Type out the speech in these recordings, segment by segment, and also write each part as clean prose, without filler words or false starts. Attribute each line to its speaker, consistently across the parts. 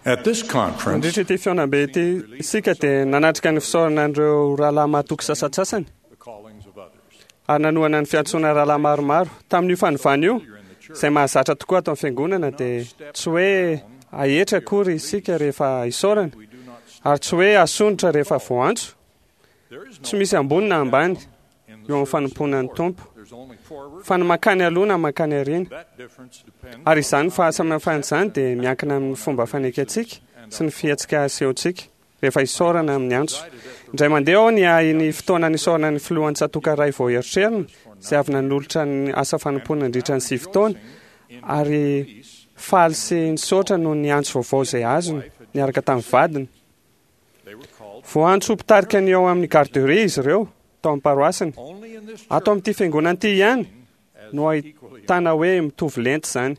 Speaker 1: At this conference,
Speaker 2: Nandritra ity fihaonambe ity isika dia nanatrika ny fisaorana an'ireo rahalahy mahatoky sasantsasany
Speaker 1: the callings of others.
Speaker 2: ary nanohana ny fiantsoana rahalahy maromaro. Tamin'io fanovana io, izay mahazatra tokoa ato amin'ny fiangonana, dia tsy hoe ahetra akory isika rehefa isaorana, ary tsy hoe asondrotra rehefa voantso.
Speaker 1: There is no
Speaker 2: Tsy misy ambony na ambany
Speaker 1: in
Speaker 2: eo
Speaker 1: the
Speaker 2: amin'ny
Speaker 1: service of
Speaker 2: fanompoana ny
Speaker 1: the Lord.
Speaker 2: Tompo,
Speaker 1: There's only forward.
Speaker 2: fa ny mankany aloha na mankany aoriana.
Speaker 1: That difference depends
Speaker 2: Ary
Speaker 1: on
Speaker 2: izany
Speaker 1: how we
Speaker 2: fahasamihafana izany dia miankina amin'ny fomba fanekentsika sy ny fihetsika asehontsika rehefa isaorana amin'ny antso. Indray mandeha aho niahy ny fotoana nisaorana ny filohan'ny tsatòka iray vao erotrerony, izay avy nanolotra ny asa fanompoana nandritra ny 9 taona, ary faly sy nisaotra noho ny antso vaovao izay azony niaraka tamin'ny vadiny.
Speaker 1: They were called
Speaker 2: Voantso ho mpitarika ny ao amin'ny garderie izy ireo tao amin'ny paroasiny.
Speaker 1: only in this
Speaker 2: Ato amin'ity fiangonana ity ihany
Speaker 1: as
Speaker 2: no
Speaker 1: equally
Speaker 2: ahitana hoe mitovy lenta izany.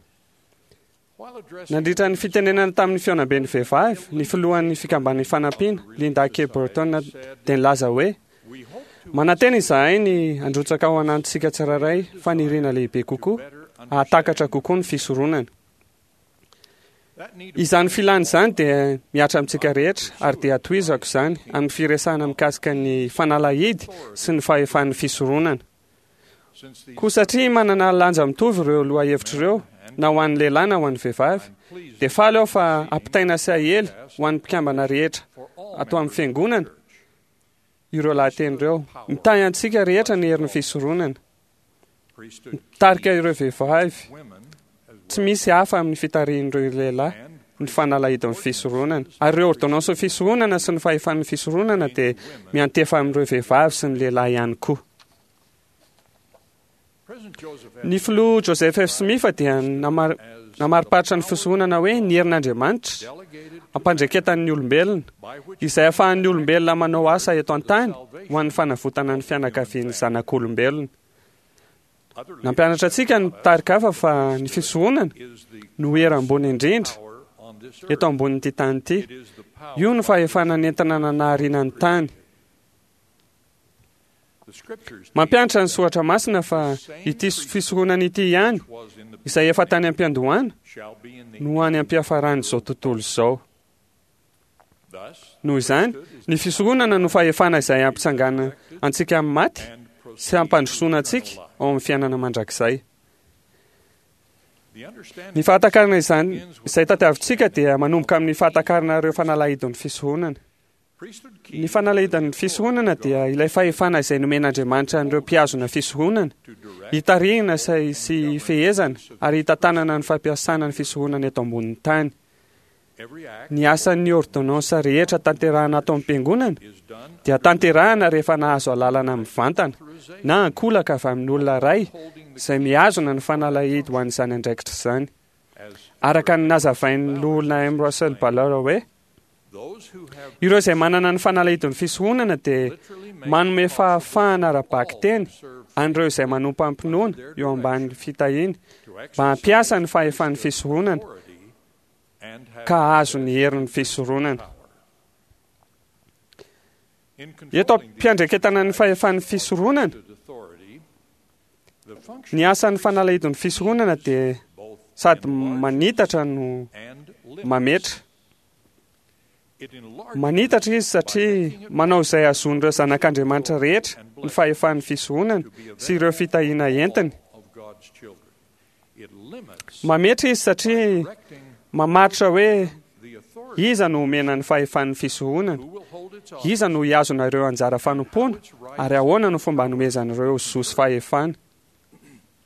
Speaker 1: While addressing
Speaker 2: Nandritra ny fitenenana tamin'ny fihaonamben'ny vehivavy, ny filohan'ny fikamban'ny fanampiana, Linda K. Burton, dia nilaza hoe
Speaker 1: we hope to
Speaker 2: manantena izahay ny handrotsaka ao anatintsika tsirairay faniriana lehibe kokoa,
Speaker 1: better
Speaker 2: hahatakatra kokoa ny fisoronana.
Speaker 1: that need
Speaker 2: Izany filana izany dia mihatra amintsika rehetra ary dia hatohizako izany amin'ny firesahana mikasika ny fanalahidy sy ny fahefan'ny fisoronana.
Speaker 1: since these
Speaker 2: Koa satria manana lanja mitovy ireo lohahevitra ireo, na ho an'ny lehilahy na ho an'ny vehivavy,
Speaker 1: pleased
Speaker 2: dia faly aho fa ampitaina sy ahely ho an'ny mpikambana rehetra
Speaker 1: for all
Speaker 2: ato amin'ny
Speaker 1: members of the
Speaker 2: fiangonana
Speaker 1: church.
Speaker 2: ireo lahateny ireo. Mitahy antsika rehetra ny herin'ny fisoronana.
Speaker 1: Priesthood
Speaker 2: Mitarika ireo vehivavy,
Speaker 1: women as
Speaker 2: tsy misy hafa amin'ny fitarihin'ireo lehilahy
Speaker 1: and
Speaker 2: ny fanalahidin'ny fisoronana. Ary ireo ordonnansin'ny fisoronana sy ny fahefan'ny fisoronana dia miantefa amin'ireo vehivavy sy ny lehilahy ihany koa.
Speaker 1: President Joseph F.
Speaker 2: Ny filoha Joseph F. Smith dia namar- namariparitra ny fisoronana hoe ny herin'Andriamanitra
Speaker 1: delegated
Speaker 2: ampandreketan'ny olombelona
Speaker 1: by which
Speaker 2: izay ahafahan'ny olombelona manao asa eto an-tany ho an'ny fanavotana ny fianakavian'ny zanak'olombelona.
Speaker 1: other
Speaker 2: Nampianatra antsika ny mpitarika hafa fa ny fisoronana
Speaker 1: is the
Speaker 2: no hery ambony indrindra
Speaker 1: power on this earth.
Speaker 2: eto ambonin'ity tany ity.
Speaker 1: It is the power
Speaker 2: Io no fahefana nentina nanahariana ny tany.
Speaker 1: the scriptures
Speaker 2: Mampianatra ny soratra masina fa ity fisoronana ity ihany
Speaker 1: was in the
Speaker 2: izay efa tany am-piandohana
Speaker 1: shall be in the
Speaker 2: no any am-piafaran'izao tontolo izao.
Speaker 1: thus
Speaker 2: Noho izany, ny fisoronana no fahefana izay hampitsangana antsika amin'ny maty
Speaker 1: and
Speaker 2: sy hampandrosoana antsika ao amin'ny fiainana mandrakizay.
Speaker 1: the understanding
Speaker 2: Ny fahatakarana izany izay tadiavintsika dia manomboka amin'ny fahatakarana ireo fanalahidin'ny fisoronana.
Speaker 1: priesthood
Speaker 2: Ny fanalahidin'ny fisoronana dia ilay fahefana izay nomen'Andriamanitra an'ireo mpihazona fisoronana,
Speaker 1: to direct
Speaker 2: hitarihina sy sy hifehezana ary hitantanana ny fampiasana ny fisoronana eto ambonin'ny tany.
Speaker 1: every act
Speaker 2: Ny asan'ny ordonnansa rehetra tanterahana ato am-piangonana
Speaker 1: is done
Speaker 2: dia tanterahana rehefa nahazo alalana mivantana na ankolaka avy amin'ny olona iray izay mihazona ny fanalahidy ho an'izany andraikitra izany.
Speaker 1: as
Speaker 2: Araka ny nazavain'ny loholona M. Russell Ballard hoe
Speaker 1: those who have
Speaker 2: ireo izay manana ny fanalahidin'ny fisoronana dia
Speaker 1: literally made
Speaker 2: manome fahafahana ara-bakiteny
Speaker 1: serve
Speaker 2: an'ireo izay manompo am-pinoana eo ambany fitahiana
Speaker 1: to
Speaker 2: mba hampiasa ny fahefan'ny fisoronana
Speaker 1: authority and have
Speaker 2: ka hahazo ny herin'ny fisoronana.
Speaker 1: power. In
Speaker 2: Eto
Speaker 1: controlling the
Speaker 2: am-piandraiketana ny fahefan'ny fisoronana,
Speaker 1: authority, the function
Speaker 2: ny asan'ny fanalahidin'ny fisoronana dia
Speaker 1: both
Speaker 2: sady manitatra no
Speaker 1: and limits.
Speaker 2: mametra.
Speaker 1: It enlarges
Speaker 2: Manitatra izy satria manao izay hahazoan'ireo zanak'Andriamanitra rehetra ny fahefan'ny fisoronana sy ireo fitahiana entiny.
Speaker 1: of God's children. It limits
Speaker 2: Mametra izy satria
Speaker 1: directing
Speaker 2: mamaritra hoe
Speaker 1: the authority
Speaker 2: iza no omena ny fahefan'ny fisoronana,
Speaker 1: who will hold its office
Speaker 2: iza no hihazona ireo anjara fanompoana, ary ahoana no fomba hanomezan'ireo zo sy fahefana.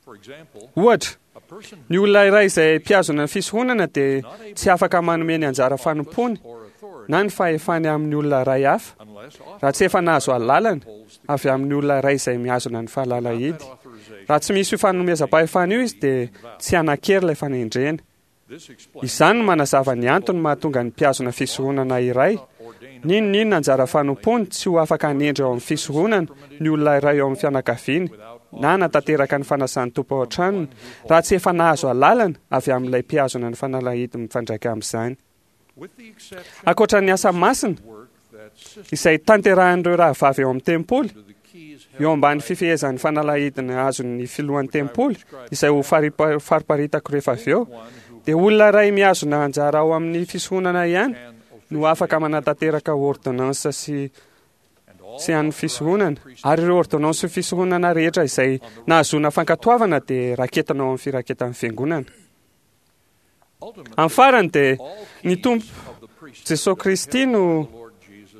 Speaker 1: For example,
Speaker 2: Ohatra,
Speaker 1: a person
Speaker 2: ny olona iray izay mpihazona ny fisoronana dia tsy afaka manome ny anjara fanompoany
Speaker 1: or authority
Speaker 2: na ny fahefany amin'ny olona iray hafa
Speaker 1: unless
Speaker 2: raha tsy efa nahazo alalana
Speaker 1: holds the
Speaker 2: avy amin'ny olona iray izay mihazona ny fahalalahidy.
Speaker 1: authorization.
Speaker 2: Raha tsy misy io fanomezam-pahefana io izy dia tsy hanan-kery ilay fanendrena.
Speaker 1: This explains
Speaker 2: Izany no manazava ny antony mahatonga ny mpihazona fisoronana iray
Speaker 1: ordained
Speaker 2: N'inon'inona anjara fanompoany tsy ho afaka hanendry ao amin'ny fisoronana ny olona iray ao amin'ny fianakaviany na hanatanteraka ny fanasan'ny Tompo ao an-tranony raha tsy efa nahazo alalana avy amin'ilay mpihazona ny fanalahidy mifandraika amin'izany.
Speaker 1: with the exception
Speaker 2: Ankoatra ny asa masina
Speaker 1: work that sisters
Speaker 2: izay tanterahin'ireo rahavavy ao amin'ny tempoly
Speaker 1: to the keys
Speaker 2: eo ambany fifehezan'ny fanalahidina azon'ny filohan'ny tempoly izay ho fariparitako rehefa avy eo
Speaker 1: one who
Speaker 2: dia olona iray mihazona anjara ao amin'ny fisoronana ihany no afaka manatanteraka ôrdônansa sy sy an'ny fisoronana. Ary ireo ôrdônansin'ny fisoronana rehetra izay nahazoana fankatoavana dia raketina ao amin'ny firaketan'ny fiangonana. Amin'ny farany dia ny Tompo Jesoa Kristy no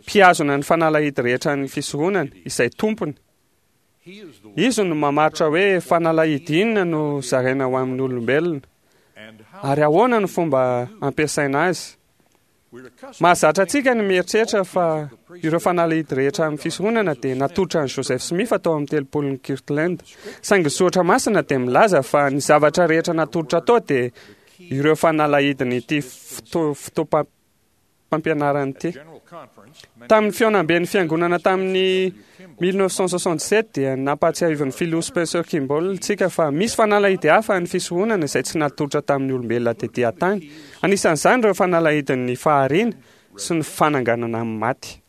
Speaker 2: mpihazona ny fanalahidy rehetra an'ny fisoronana, izay tompony. Izy no mamaritra hoe fanalahidy inona no zaraina ho amin'ny olombelona, ary ahoana no fomba ampiasaina azy. Mahazatra antsika ny mieritreritra fa ireo fanalahidy rehetra amin'ny fisoronana dia natolotra an'i Joseph Smith tao amin'ny Tempolin'i Kirtland. Saingy ny Soratra Masina dia milaza fa ny zavatra rehetra natolotra tao dia ireo fanalahidin'ity fotoam-pampianarana ity. Tamin'ny fihaonamben'ny Fiangonana tamin'ny 1967 dia nampahatsiahivin'ny Filoha Spencer Kimball antsika fa misy fanalahidy hafa ny fisoronana izay tsy natolotra tamin'ny olombelona tetỳ an-tany. Anisan'izany ireo fanalahidin'ny fahariana sy ny fananganana amin'ny maty.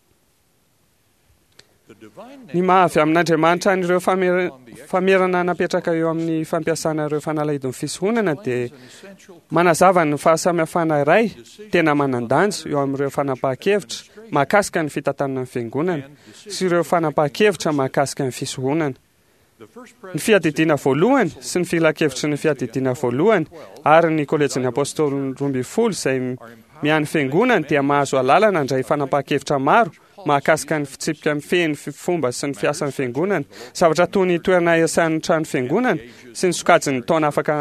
Speaker 2: Ny maha avy amin'Andriamanitra an'ireo famerana napetraka eo amin'ny fampiasana ireo fanalahidin'ny fisoronana dia manazava ny fahasamihafana iray tena manan-danja eo amin'ireo fanapahan-kevitra mahakasika ny fitantanana ny fiangonana sy ireo fanapahan-kevitra mahakasika ny fisoronana. Ny fiadidiana voalohany sy ny filankevitry ny fiadidiana voalohany ary ny kolejin'ny Apôstôly 12 izay miahy ny fiangonany dia mahazo alalana handray fanapahan-kevitra maro mahakasika ny fitsipika mifehy ny fomba sy ny fiasan'ny fiangonana, zavatra toy ny toerana iasan'ny trano fiangonana sy ny sokajin'ny taona afaka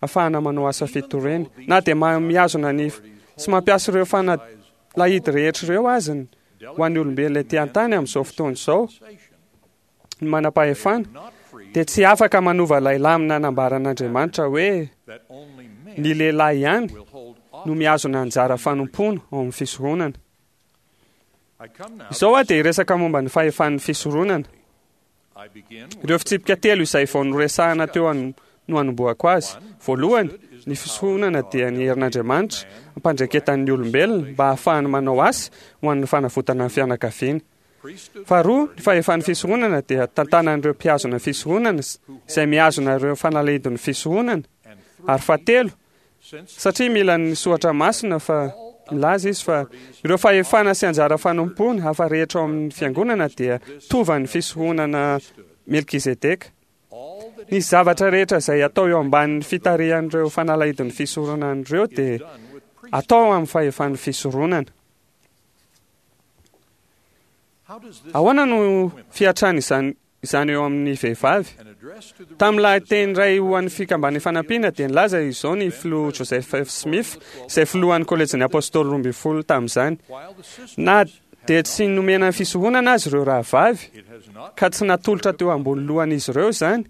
Speaker 2: afahana manao asa fitoriana. Na dia mihazona ny sy mampiasa ireo fanalahidy rehetra ireo aza ny ho an'ny olombelona ety an-tany amin'izao fotoana izao, ny manam-pahefana dia tsy afaka manova ilay lamina nambaran'Andriamanitra hoe ny lehilahy ihany no mihazona anjara fanompoana ao amin'ny fisoronana. Izao aho dia hiresaka momba ny fahefan'ny fisoronana. Ireo fitsipika telo izay vao noresahana teo no hanombohako azy. Voalohany, ny fisoronana dia ny herin'Andriamanitra ampandreketan'ny olombelona mba hahafahany manao asa ho an'ny fanavotana ny fianakaviany. Faharoa, ny fahefan'ny fisoronana dia tantanan'ireo mpihazona fisoronana izay mihazona ireo fanalahidin'ny fisoronana. Ary fahatelo, satria mila ny soratra masina fa milaza izy fa ireo fahefana sy anjara fanompoana hafa rehetra ao amin'ny fiangonana dia tovan'ny fisoronana Melkizedeka. Ny zavatra rehetra izay atao eo ambanin'ny fitarihan'ireo fanalahidin'ny fisoronana ireo dia atao amin'ny fahefan'ny fisoronana. Ahoana no fiatrany izany izany eo amin'ny vehivavy? Tamin'ny lahateny iray ho an'ny Fikambanan'ny Fanampiana dia nilaza izao ny filoha Joseph F. Smith, izay filohan'ny Kolejin'ny Apôstôly 12 tamin'izany, Na dia tsy nomena fisoronana aza ireo rahavavy, ka tsy natolotra teo ambony lohan'izy ireo izany,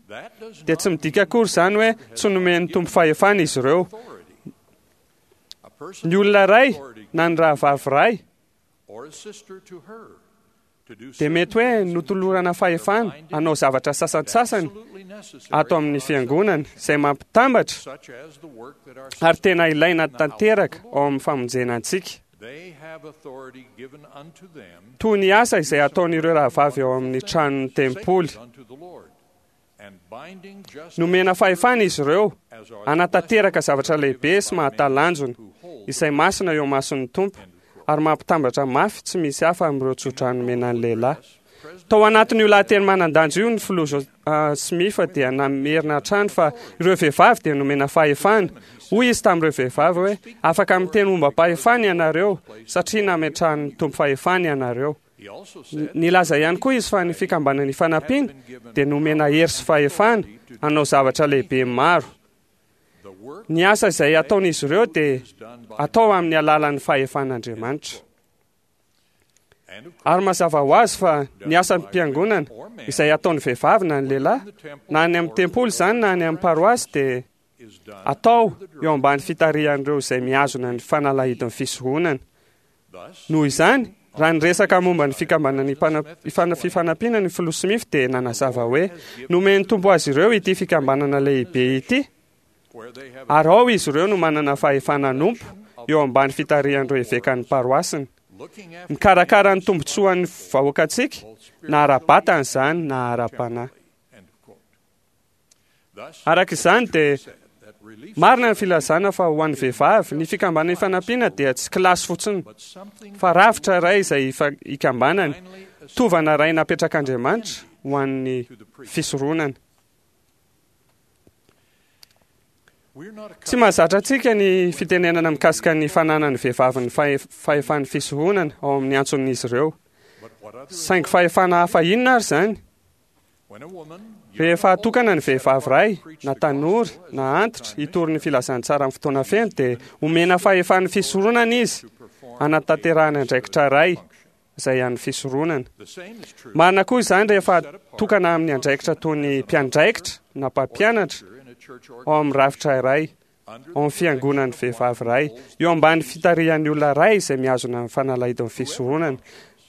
Speaker 2: dia tsy midika akory izany hoe tsy nomen'ny Tompo fahefana izy ireo. Ny olona iray na ny rahavavy iray dia mety hoe notolorana fahefana hanao zavatra sasantsasany ato amin'ny fiangonana izay mampitambatra ary tena ilaina tanteraka ao amin'ny famonjena antsika. Toy ny asa izay ataon'ireo rahavavy ao amin'ny tranon'ny tempoly. Nomena fahefana izy ireo hanatanteraka zavatra lehibe sy mahatalanjona, izay masina eo imason'ny Tompo, ary mampitambatra mafy tsy misy hafa amin'ireo tsodrano nomena ny lehilahy. Tao anatin'io lahateny manan-danja io ny filoha ah, Smith dia namerina hatrany fa ireo vehivavy dia nomena fahefana. Hoy izy tamin'ireo vehivavy hoe, afaka miteny momba-pahefana ianareo, satria nametrahan'ny Tompo fahefana ianareo. Nilaza ihany koa izy fa ny fikambanana Ifanampiana dia nomena hery sy fahefana hanao zavatra lehibe maro. Ny asa izay ataon'izy ireo dia atao amin'ny alalan'ny fahefan'Andriamanitra. Ary mazava ho azy fa ny asan'ny mpiangonana izay ataon'ny vehivavy na ny lehilahy, na any amin'ny tempoly izany na any amin'ny paroasy dia atao eo ambany fitarihan'ireo izay mihazona ny fanalahidin'ny fisoronana. Noho izany, raha niresaka momba ny fikambanana Fifanampiana ny Filoha Smith dia nanazava hoe, Nomen'ny Tompo azy ireo ity fikambanana lehibe ity, ary ao izy ireo no manana fahefana hanompo eo ambany fitarihan'ireo evekan'ny paroasiny. Mikarakara ny tombontsoan'ny vahoakantsika, na ara-batana izany na ara-panahy. Araka izany dia Marina ny filazana fa ho an'ny vehivavy, ny fikambanana Ifanampiana dia tsy kilasy fotsiny, fa rafitra iray izay ikambanany, tovana iray napetrak'Andriamanitra ho an'ny fisoronana. Tsy mahazatra antsika ny fitenenana mikasika ny fananan'ny vehivavy ny fahefan'ny fisoronana ao amin'ny antson'izy ireo. Saingy fahefana hafa inona ary izany? Rehefa atokana ny vehivavy iray, na tanora, na antitra, hitory ny filazantsara amin'ny fotoana feno, dia omena fahefan'ny fisoronana izy hanatanterahany andraikitra iray izay an'ny fisoronana. Marina koa izany rehefa atokana amin'ny andraikitra toy ny mpiandraikitra na mpampianatra ao amin'ny rafitra iray, ao amin'ny fiangonan'ny vehivavy iray, eo ambany fitarihan'ny olona iray izay mihazona ny fanalahidin'ny fisoronana.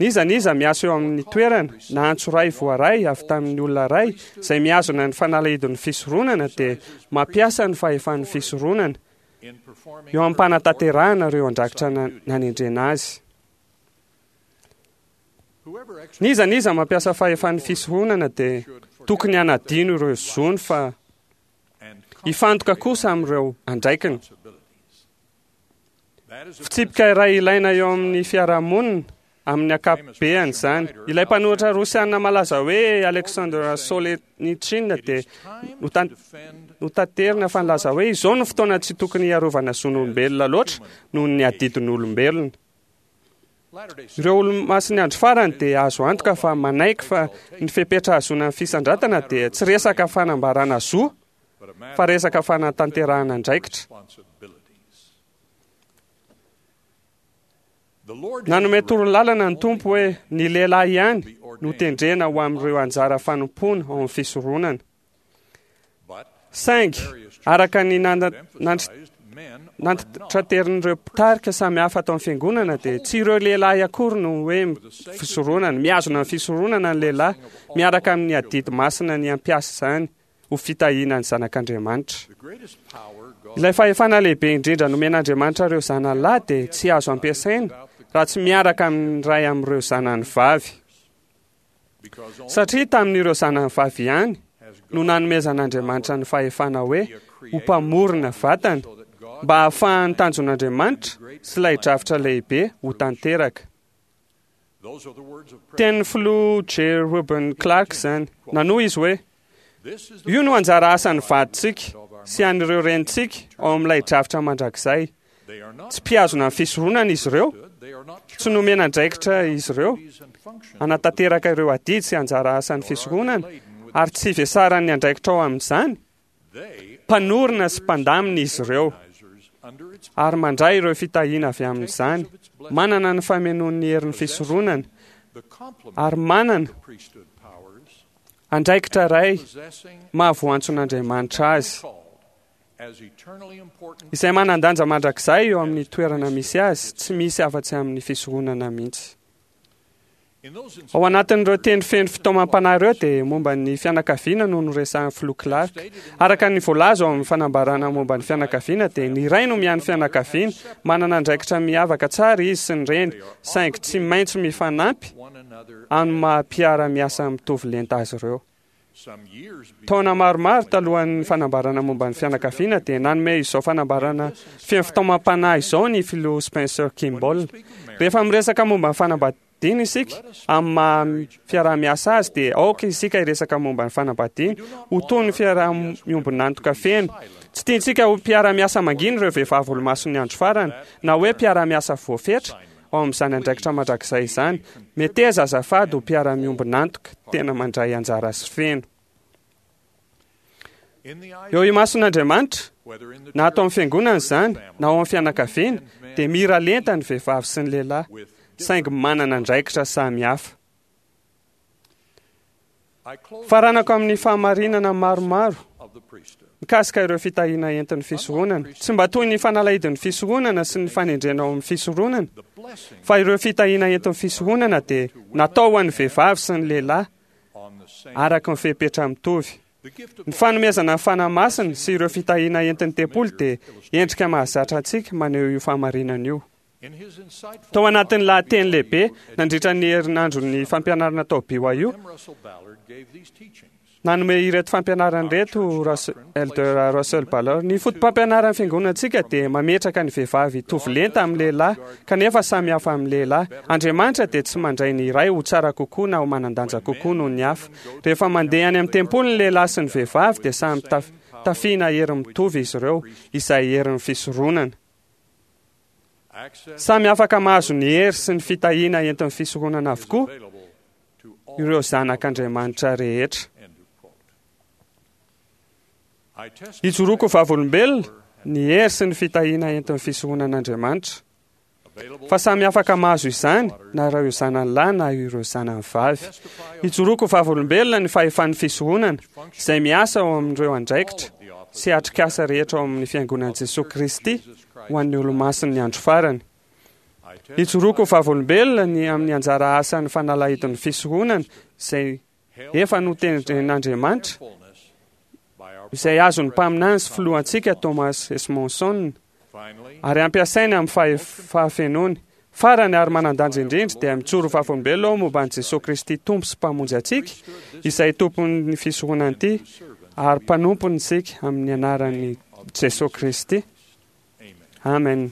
Speaker 2: N'iza n'iza miasa eo amin'ny toerana na antso iray voaray avy tamin'ny olona iray izay mihazona ny fanalahidin'ny fisoronana dia mampiasa ny fahefan'ny fisoronana eo am-panatanterahana ireo andraikitra nanendrena azy. N'iza n'iza mampiasa fahefan'ny fisoronana dia tokony hanadino ireo zony fa hifantoka kosa amin'ireo andraikiny. Fitsipika iray ilaina eo amin'ny fiarahamonina amin'ny ankapobeany izany. Ilay mpanoratra rosiana malaza hoe Alexander Solzhenitsyn dia notaterina fa nilaza hoe izao no fotoana tsy tokony hiarovana zon'olombelona loatra noho ny adidin'olombelona. Ireo Olomasin'ny Andro Farany dia azo antoka fa manaiky fa ny fepetra hahazoana ny fisandratana dia tsy resaka fanambarana zo fa resaka fanatanterahana andraikitra. Nanome torolalana ny Tompo hoe ny lehilahy ihany no tendrena ho amin'ireo anjara fanompoana ao amin'ny fisoronana. Saingy, araka ny nantitraterin'ireo mpitarika samihafa ato amin'ny fiangonana dia tsy ireo lehilahy akory no hoe fisoronana. Mihazona ny fisoronana ny lehilahy miaraka amin'ny adidy masina ny hampiasa izany ho fitahiana ny zanak'Andriamanitra. Ilay fahefana lehibe indrindra nomen'Andriamanitra ireo zanany lahy dia tsy azo ampiasaina raha tsy miaraka amin'ny iray amin'ireo zanany vavy. Satria tamin'ireo zanany vavy ihany no nanomezan'Andriamanitra ny fahefana hoe ho mpamorona vatana mba hahafahan'ny tanjon'Andriamanitra sy ilay drafitra lehibe ho tanteraka. Tenin'ny filoha J. Reuben Clark izany. Nanohy izy hoe, Io no anjara asan'ny vadintsika sy an'ireo renintsika ao amin'ilay drafitra mandrakizay. Tsy mpihazona ny fisoronana izy ireo, tsy nomena andraikitra izy ireo hanatanteraka ireo adidy sy anjara asan'ny fisoronana, ary tsy vesaran'ny andraikitra ao amin'izany. Mpanorina sy mpandamina izy ireo, ary mandray ireo fitahiana avy amin'izany, manana ny famenoan'ny herin'ny fisoronana, ary manana andraikitra iray maha-voantson'Andriamanitra azy, izay manan-danja mandrakizay eo amin'ny toerana misy azy, tsy misy afa-tsy amin'ny fisoronana mihitsy. Ao anatin'ireo teny feno fitaomam-panahy ireo dia momba ny fianakaviana no noresahin'ny Filoha Clark. Araka ny voalaza ao amin'ny fanambarana momba ny fianakaviana dia ny ray no miahy ny fianakaviana, manana andraikitra miavaka tsara izy sy ny reny, saingy tsy maintsy mifanampy amin'ny maha mpiara-miasa mitovy lenta azy ireo. Taona maromaro talohan'ny fanambarana momba ny fianakaviana dia nanome izao fanambarana feno fitaomam-panahy izao ny filoha Spencer Kimball. Rehefa miresaka momba ny fanambadiana isika, amin'ny maha fiaraha-miasa azy dia aoka isika hiresaka momba ny fanambadiana ho toy ny fiaraha-miombon'antoka feno. Tsy tiantsika ho mpiara-miasa mangina ireo vehivavy olomasin'ny andro farany, na hoe mpiara-miasa voafetra, ao amin'izany andraikitra mandrakizay izany. Meteza azafady ho mpiara-miombon'antoka tena mandray anjara sy feno. Eo imason'Andriamanitra, na ato amin'ny fiangonana izany, na ao amin'ny fianakaviana, dia mira lenta ny vehivavy sy ny lehilahy, saingy manana andraikitra samy hafa. Faranako amin'ny fahamarinana maromaro mikasika ireo fitahiana entin'ny fisoronana. Tsy mba toy ny fanalahidin'ny fisoronana sy ny fanendrena ao amin'ny fisoronana, fa ireo fitahiana entin'ny fisoronana dia natao ho an'ny vehivavy sy ny lehilahy araka ny fepetra mitovy. Ny fanomezana ny Fanahy Masina sy ireo fitahiana entin'ny tempoly dia endrika mahazatra antsika maneho io fahamarinana io. Tao anatin'ny lahateny lehibe nandritra ny herinandron'ny fampianarana tao BYU, Nanome ireto fampianarana ireto Elder Russell Ballard: Ny fotopampianaran'ny fiangonantsika dia mametraka ny vehivavy hitovy lenta amin'ny lehilahy, kanefa samy hafa amin'ny lehilahy. Andriamanitra dia tsy mandray ny iray ho tsara kokoa na ho manan-danja kokoa noho ny hafa. Rehefa mandeha any amin'ny tempoly ny lehilahy sy ny vehivavy dia samy tafiana hery mitovy izy ireo, izay herin'ny fisoronana. Samy afaka mahazo ny hery sy ny fitahiana entin'ny fisoronana avokoa ireo zanak'Andriamanitra rehetra. Ijoroako vavolombelona ny hery sy ny fitahiana entin'ny fisoronan'Andriamanitra, fa samy afaka mahazo izany na ireo zanany lahy na ireo zanany vavy. Ijoroako vavolombelona ny fahefan'ny fisoronana izay miasa ao amin'ireo andraikitra sy atrikasa rehetra ao amin'ny Fiangonan'i Jesoa Kristy ho an'ny Olomasin'ny andro farany. Ijoroako vavolombelona ny amin'ny anjara asan'ny fanalahidin'ny fisoronana izay efa notendren'Andriamanitra, izay azon'ny mpaminany sy filohantsika Thomas S. Monson, ary ampiasainy amin'ny fahafenoany. Farany ary manan-danja indrindra dia mijoro vavolombelona aho momba an'i Jesoa Kristy Tompo sy Mpamonjy antsika, izay Tompon'ny fisoronana ity, ary mpanompony isika amin'ny anaran'i Jesoa Kristy. Amen.